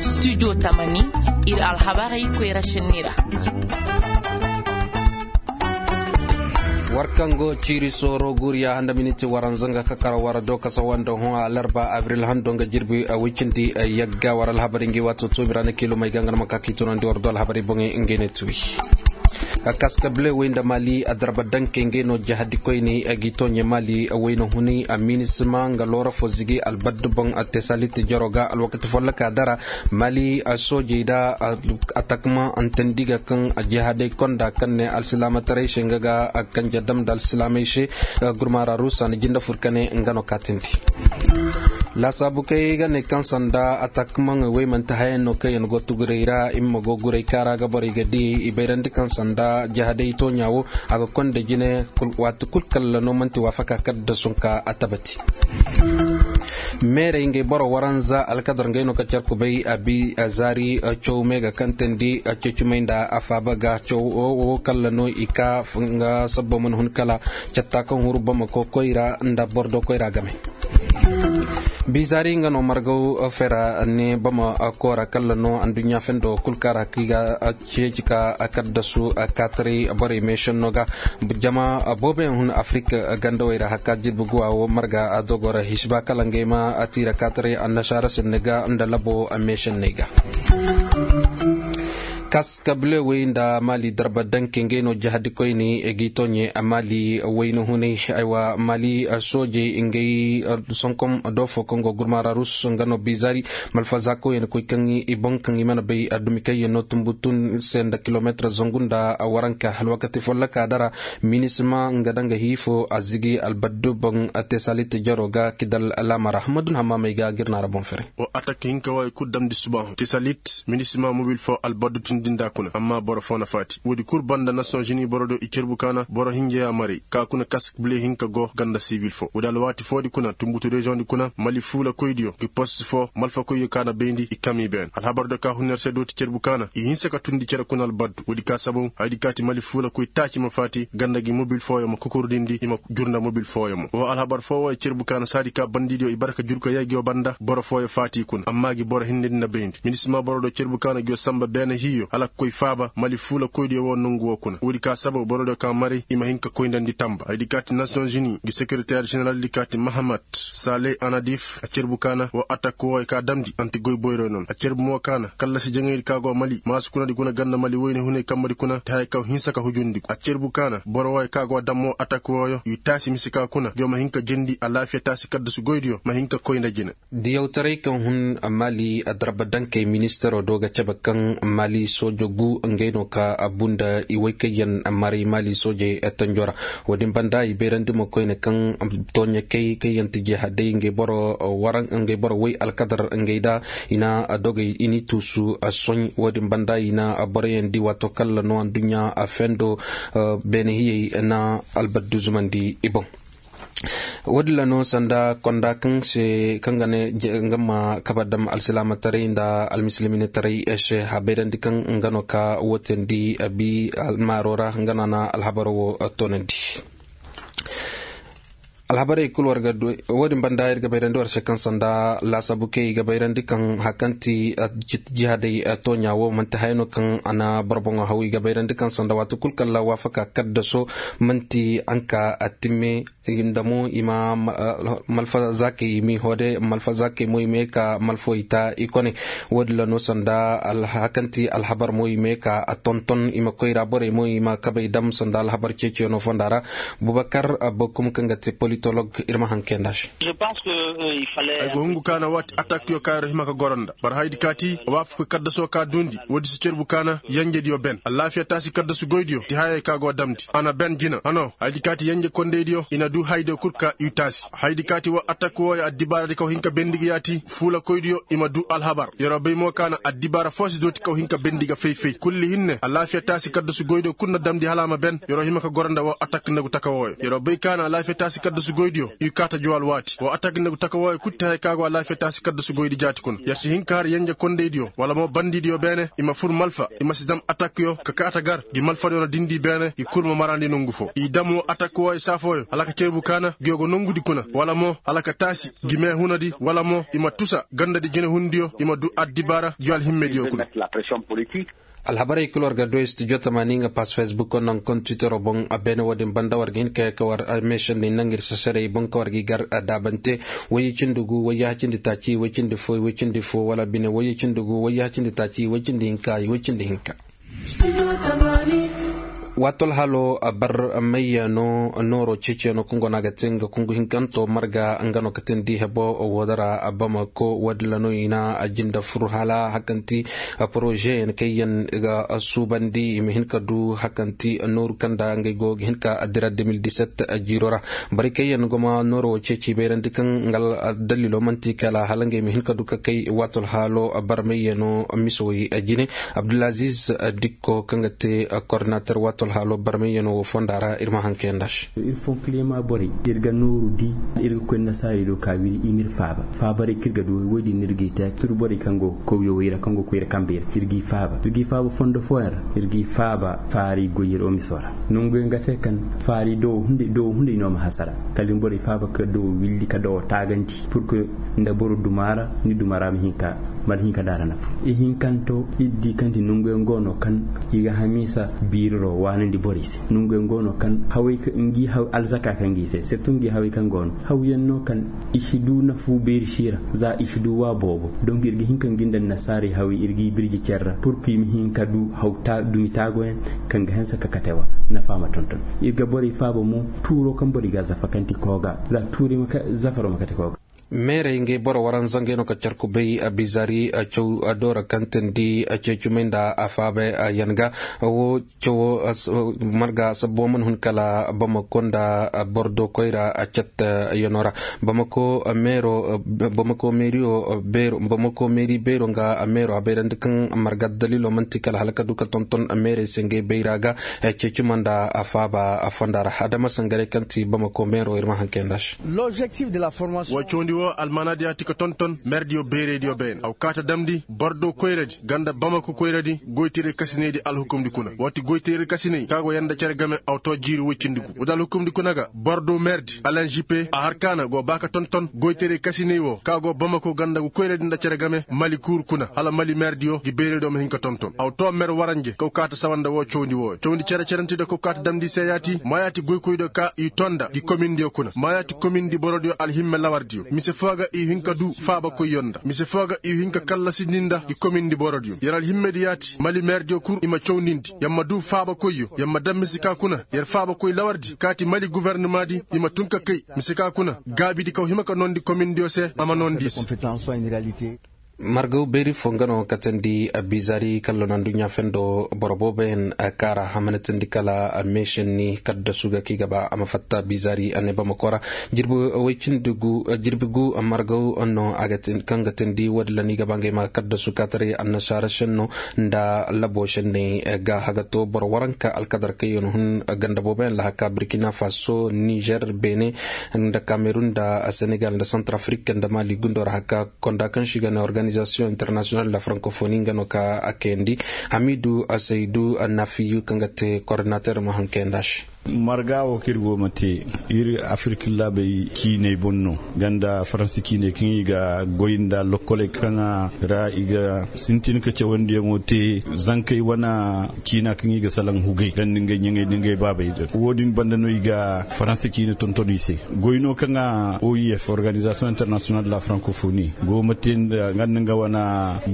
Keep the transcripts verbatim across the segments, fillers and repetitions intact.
Studio tamani, ir alhabarey koyra šenni ra. War kaŋ go ciiri sooro guuriya handa miniti waranza nga ka kara war do kasa wanda hõ alarba abril hando nga jirbi wicindi yagga war alhabarey ngi waato toomi ra na kiilumey ga nga na ma ka k'i tunandi war do alhabarey boŋey ngey ne tuwi. Kaska bile wey nda mali a darba danke ngey no jahadi koyney a g'i tooɲe mali wayna hunay a minisima nga loora fo zigi albaddu boŋ a te salit jaro ga alwakati folloka dara. Mali soojey da atakma antandi ga kaŋ jihadey konda kaŋ ne alsilaamataray se nga ga kanje dam nda alsilaamey se. Gurmaara ruusa na jinde fur ka ne nga no kaatindi. Laasaabu kay ga ne kaŋ sanda atakma wey manti hayaŋ no kaŋ yaŋ go tuguray ra i ma go guray kaara ga borey ga di i bayrandi kaŋ sanda jihadey tooɲa wo a ga konda jine. Waati kul kalla no manti waafaka kadda sunka a tabati. Meerey ngey boro waranza alkadar ngey no ka car kubay a bi a zaari caw me ga kantandi a cecumay nda a faaba ga caw wo kalla no i ka nga sabbo mana hun kala catta kaŋ huru bamako koyra nda bordo koyra game. Bizaari nga no margaw fera ne bama koora kalla no anduɲɲa fendo kul kaara kaŋ i ga ceeci ka kaddasu kaataray borey meešenno ga. Jama booboyaŋ hun afirik gandawey ra hakka jirbi guwa wo marga a dogo ra hisiba kala ngey ma a tiira kaataray annasaara senne ga nda labo meešenney ga. Kas kabile wey nda mali darba danke ngey no jahadi koyne g'i tooɲe mali wayna hunay. Aywa mali soojey ngey sonkom do fo kaŋ go gurmaara rus nga no bizari malfazakoyaŋ koy kaŋ i boŋ kaŋ i mana bay dumi kaŋ yaŋ no tumbu tun se nda kilometir zangu nda waranka alwakati folloka dara. Minisima nga da nga hiifo a zigi albaddu boŋ a te salit jaro ga kidal laamara madun hammamey ga gir na ra boŋ fere. Wa atak hinka wayo kul damndi subahu te salit minisima mobil fo albaddu tun din da kuna amma boro fo na faati woodi kul banda nasiyoŋ zini boro do i cerbu kaana boro hinja ya maray ka kuna kask bile hinka go ganda sibil fo woodi alwaati foodi kuna tumbutu reziyoŋ di kuna mali fuula koydiyo ngi post fo malfa koyyo kaana bayndi i kami ben alhabar do ka hunner se dooti cerbu kaana i hinsa ka tundi cere kuna albaddu woodi ka sabaw haydi kaati mali fuula koy taaci ma faati ganda gi mobil fooyo ma kokordindi i ma jur nda mobil fooyo mo wo alhabar foo wooyo cerbu kaana saadi ka bandidiyo i barka jurka yaygiyo banda boro fooyo faati kuna amma gi boro hindindi na bayndi minisima boro do cerbu kaana giyo samba beene hiyo hala ka koy faaba mali fuula koydiyo woo nongu woo kuna woodi ka sabaw borodiyo ka maray i ma hin ka koyndandi tamba haydi kaati nasiyoŋ zini gi sekereter ženeral di kaati mahamat saaley anadif a cerbu kaana woo atak wooyo ka damndi anti goy boyroy noon a cerbu mo kaana kallasi jaŋaydi ka go mali maasukunadi kuna ganda mali woyne hunay kambadi kuna te haya kaw hinsa ka hujundi a cerbu kaana boro wooyo ka go dam woo atak wooyo i taasi mise ka kuna giyo ma hin ka jendi alaafiya taasi kaddasu goydiyo ma hin ka koy nda jine. Diyawtaray kaŋ hun mali adarba dankey ministero do ga cabe kaŋ mali soojo gu ngey no ka a bu nda i way kaŋ yaŋ maray mali soojey tanjo ra. Wo-din banda i bayrandi mo koyne kaŋ tooɲakey kaŋ yaŋ ti jihadey ngey boro way alkadar ngey da i na dogey i n'i tuusu soɲ wo-din banda i na boroyaŋ di waato kalla no aduɲɲa fendo beene hiyey na albaddu zumandi i boŋ. Wo-din ra no sanda konda kaŋ se kaŋ ga ne nga ma kaba dam alsilaamataray nda almisilminataray se a bayrandi kaŋ nga no ka wootandi abi almaaro ra nga no a na alhabaro wo toonandi. Alhabarey kul war ga du wo-din banda ir ga bayrandi war se kaŋ sanda laasaabu kay i ga bayrandi kaŋ hari kaŋ ti jihadey tooɲa wo manti haya no kaŋ a na boro boŋo haw i ga bayrandi kaŋ sanda waati kul kaŋ ra waafaka kaddaso manti hanka a timme. Nda mo i ma malfazaakey i m'i hoode malfazaakey mo i ma ye ka malfawey ta i kone. Wo-din ra no sanda hari kaŋ ti alhabar mo i ma ye ka a tonton i ma koy ra borey mo i ma kabey dam sanda alhabar ceeciyaŋo fonda ra. Bubakar bokum kaŋ ga te politolog ir ma haŋ kay nd'a se. Ay go hungu kaana waati atakyo kaŋ ay ra hima ka goro nda boro haydi kaati waafakoy kaddaso ka duundi woodi si cerbu kaana yenjediyo ben alaafiya taasi kaddasu goydiyo ti hayey ka go damndi a na ben jina hano haydi kaati yenje kondeydiyo i na duu haydiyo kul ka i taasi haydi kaati woo atak wooyo addibaaradi kaw hin ka bendi ga yaati fuula koydiyo i ma duu alhabar yer'o bay mo kaana addibaara foo si dooti kaw hin ka bendi ga fay-fay kulli hinne alaafiya taasi kaddasu goydiyo kul na damndi hala a ma ben yer'o hima ka goro nda woo atak nagu taka wooyo yer'o bay kaana alaafiya taasi kaddasu Goydiyo i kaa ta jow alwaati wa atak nda gu taka wooyo kul ti haya ka go alaafiya taasi kaddasu goydi jaati kuna yer si hin ka har yenje kondaydiyo wala mo bandidiyo beene i ma fur malfa i ma si dam atakyo ka kaa ta gar gi malfadiyo na dindi beene i kul ma maraandi nongu foo i dam woo atak wooyo saa fooyo hala ka cerbu kaana ngiyo go nongudi kuna wala mo hala ka taasi gi meehunadi wala mo i ma tusa gandadi jinehundiyo i ma duu addibaara ngiyo alhimmediyo kuna. Alhabarey kul war ga du studio tamaani nga pass facebook naŋ kontitero boŋ. Beene wo-din banda war ga hin ka yee ka war meešandi naŋ ir sasarey boŋ ka war ga i gar daabante. Wayye cindi gu wayye hacindi taaci wayye cindi fo wayye cindi fo wala bine wayye cindi gu wayye hacindi taaci wayye cindi hinka wayye cindi hinka. Waatol halo bar mayyaŋo nooro ceeciyaŋo kaŋ go no a ga te nga kungu hinkanto marga nga no ka teendi hebo woo dara bamako wo-din ra no i na jinde fur hala hakanti porozeyaŋ kaŋ yaŋ ga suubandi i ma hin ka du hakanti nooru kaŋ nda ngey go ga hin ka dira deux mille dix-sept jiiro ra. Borey kaŋ yaŋ go ma nooro wo ceeci bayrandi kaŋ nga aldalilo man'ti kala hala ngey ma hin ka du ka kay waatol halo barmayyaŋo misawey jine. Abdulaziz dikko kaŋ ga te kordinater waatol halo barmayyaŋo wo fonda ra ir ma haŋ kayandi a se. Ir fonkilema borey ir ga nooru di ir ga koy nasaarey do ka wiri i m'ir faaba faabarey kaŋ ir ga du woy din no ir g'i te turu borey kaŋ go kawyo woy ra kaŋ go koyra kambey ra ir g'i faaba ir g'i faaba fondo fooyaŋ ra ir g'i faaba faari goy ir omiso ra. Nonguyaŋ ga te kaŋ faari doowo hunday no ma hasara kala i ma borey faaba ka doowo willi ka doowo taagandi pur que nda boro duma ra ni duma ra ma hin ka daara nafa. Ihinkanto ir di kaŋ ti nonguyaŋ go no kaŋ i ga hamiisa biiriro waanandi borey se nonguyaŋ go no kaŋ hawey kaŋ ngi haw alzaka kaŋ ngi se sirtu ngi hawey kaŋ go no hawyaŋ no kaŋ i si du nafu beeri si ra za i si du waa boobo. Donk ir ga hin ka ngi nda annasaarey hawey ir g'i birji care ra pur que i ma hin ka du haw dumi taagoyaŋ kaŋ ga hanse ka kate wa nafa ma tonton. Ir ga borey faaba mo tuuro kaŋ borey ga zafa kaŋ ti kooga za tuuri zafaro ma kate kooga. Meerey ngey boro waranza ngey no ka carku bay bizaari caw doora kaŋ teendi ceecumay nda a faaba yaŋ ga. Wo cawo marga sabbo mana hun kala bamako nda bordo koyra cattayaŋo ra. Bamako meero bamako meeriyo beero bamako meeri beero nga meero a bayrandi kaŋ marga daliilo man'ti kala hala ka du ka tonton meerey se ngey bayra ga. Ceecuma nda a faaba a fonda ra adama sangarey kaŋ ti bamako meero ir ma haŋ kayandi a se. Woo cawandi woo almaanaadiyo a ti ka tonton meerdiyo beeraydiyo beene a wa kaa ta damndi bordo koyradi nga nda bamako koyradi goyteeray kasinaydi alhukumdi kuna woo ti goyteeray kasinay ka go yer nda cere game a wa too jiiri woy cindi gu woodi alhukumdi kuna ga bordo meerdi alenžipe a har kaana go baa ka tonton goyteeray kasinay woo ka go bamako nga nda ngu koyradi nda cere game mali kuur kuna hala mali meerdiyo ngi beeraydiyo ma hin ka tonton a wa too meer waranje kaw kaa ta sawa nda woo cawandi wooyo cawandi cere-cerentidiyo kaw kaa ta damndi i se yaati maayaati goykoydiyo ka i too nda ngi komindiyo kuna maayaati komindi borodiyo alhimme lawardiyo mise foo ga i hin ka duu faabakoyyo nda mise foo ga i hin ka kallasindi nda ngi komindi borodiyo yer alhimmedi yaati mali meerdiyo kul i ma cawndindi yer ma duu faabakoyyo yer ma dam mise ka kuna yer faabakoy lawardi kaati mali gofornimaadi i ma tun ka kay mise ka kuna gaabidi kaw hima ka noondi komindiyo se a ma noondi i se. Margaw beeri foo nga no katandi bizaari kallon aduɲɲa fendo boro booboyaŋ kaara a mana teendi kala meešenni kaddasu ga kaŋ i ga ba a ma fatta bizaari a ne bamako ra. Jirbi woy cindi gu jirbi gu margaw no kaŋ ga teendi woodi ra no i ga ba ngey ma kaddasu kaataray annasaara šenno nda labo šenney ga hagato boro waranka alkadar kaŋ yaŋ hun ganda booboyaŋ lahaka burkina faso nizer beene nda kamerun nda senegal nda santarafrik nda mali gundo ra haka konda kaŋ se i ga ne organizasiyoŋ internasiyonal de la frankofoni nga no ka a kayandi. Hamidu seydu nafiyu kaŋ ga te kordinater ma haŋ kayandi a se. Marga wo kaŋ ir go ma te ir afirki laabey ciiney boŋ no ganda faransi ciiney kaŋ i ga goy nda lokkoley kaŋ ra i ga sintin ka cawandiyaŋo te zankey wane ciina kaŋ i ga salaŋ hugey ganda ngey ɲaŋey nda ngey baabey wo- din banda no i ga faransi ciine tonton i se. Goy no kaŋ a oif organizasiyoŋ internasiyonal de la frankofoni go ma te nda nga nda nga wane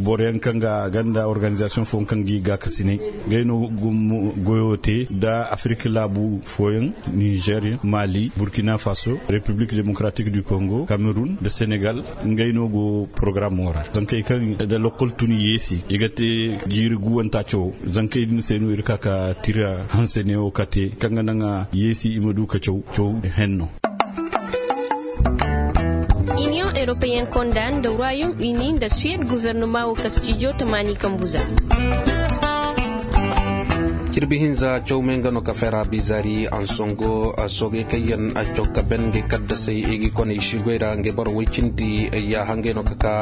boroyaŋ kaŋ ga ganda organizasiyoŋ fooyaŋ kaŋ ga i gaakasinay ngey no goyo te nda afirki laabu fooyaŋ nizer mali burkina faso repiblik demokratik du kongo kamerun nda senegal. Ngey no go porogaramo ra zankey kaŋ nda lokkol tun yeesi i ga te jiiri guwanta cawo zankey din se no ir ka ka tira hanse neewo kate kaŋ ga naŋ a yeesi i ma du ka caw caw henno. Iniyoŋ eropeyen konda nda royom uni nda suwed guvernoma wo ka stijo tamaani kambuza. Cirbi hinza cawmey nga no ka fera bizari ansongo soogey kaŋ yaŋ caw ka ben ngey kaddasey i ga i koney si goy ra ngey boro woy cindi yaaha ngey no ka ka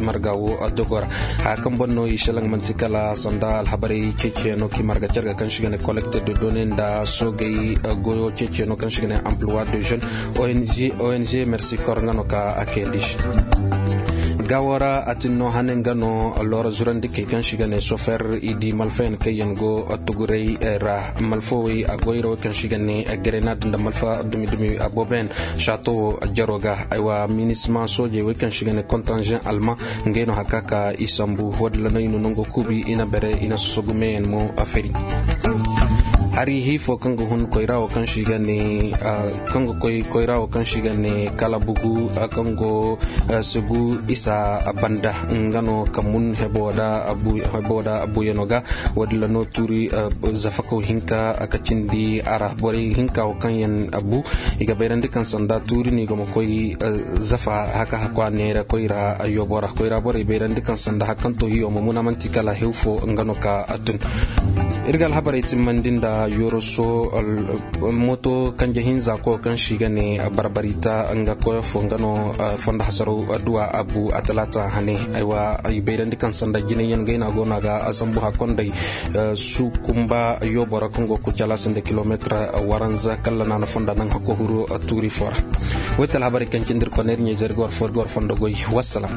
marga wo dogo ra. Haya kaŋ boŋ no i selaŋ manti kala sanda alhabarey ceeciyaŋo kaŋ i marga carga kaŋ si ga ne collecte de données nda soogey goyo ceeciyaŋo kaŋ si ga ne emploi de jeune. Ong mercikor nga no ka a kayandi se. Gaawo ra a tin no hane nga no loora zurandikey kaŋ si ga ne sofer i di malfayaŋ kaŋ yaŋ go tuguray ra malfawey a goyra wey kaŋ si ga ne grenade nda malfa dumi-dumi a booboyaŋ sato wo jaro ga. Aywa minisma soojey wey kaŋ si ga ne kontanzen alman ngey no haka ka i sambu wadalla no i na nango kuubi i na bere i na sosogu meeyaŋ mo a feri. Hari hiifo kaŋ ga hun koyra wo kaŋ si ga ne kaŋ ga koy koyra wo kaŋ si ga ne kala bugu kaŋ go sugu isa banda nga no ka mun hebo da abuyaŋo ga. Wadilla no tuuri zafakaw hinka ka cindi a ra borey hinka wo kaŋ yaŋ bu i ga bayrandi kaŋ sanda tuuri no i go ma koy zafa haka hakwa neera koyra yobo ra koyra borey bayrandi kaŋ sanda hakaŋ to hiyo ma muna manti kala hew fo nga no ka tun. Iri ga alhabarey timmandi nda yoroso moto kanje hinza ko kaŋ si ga ne barbarita nga koyo fo nga no fondo hasaro duwa abu a talaata hane. Aywa i bayrandi kaŋ sanda jinay yaŋ gayna go no a ga sambu hakondey su kumba yobo ra kaŋ go kucala sanda kilometre waranza kalla naana fonda naŋ hakko huru tuuri fo ra. Woy te alhabarey kaŋ cindi iri kone iri ɲayzey iri ga war fo iri ga war fondo goy. Wassalam.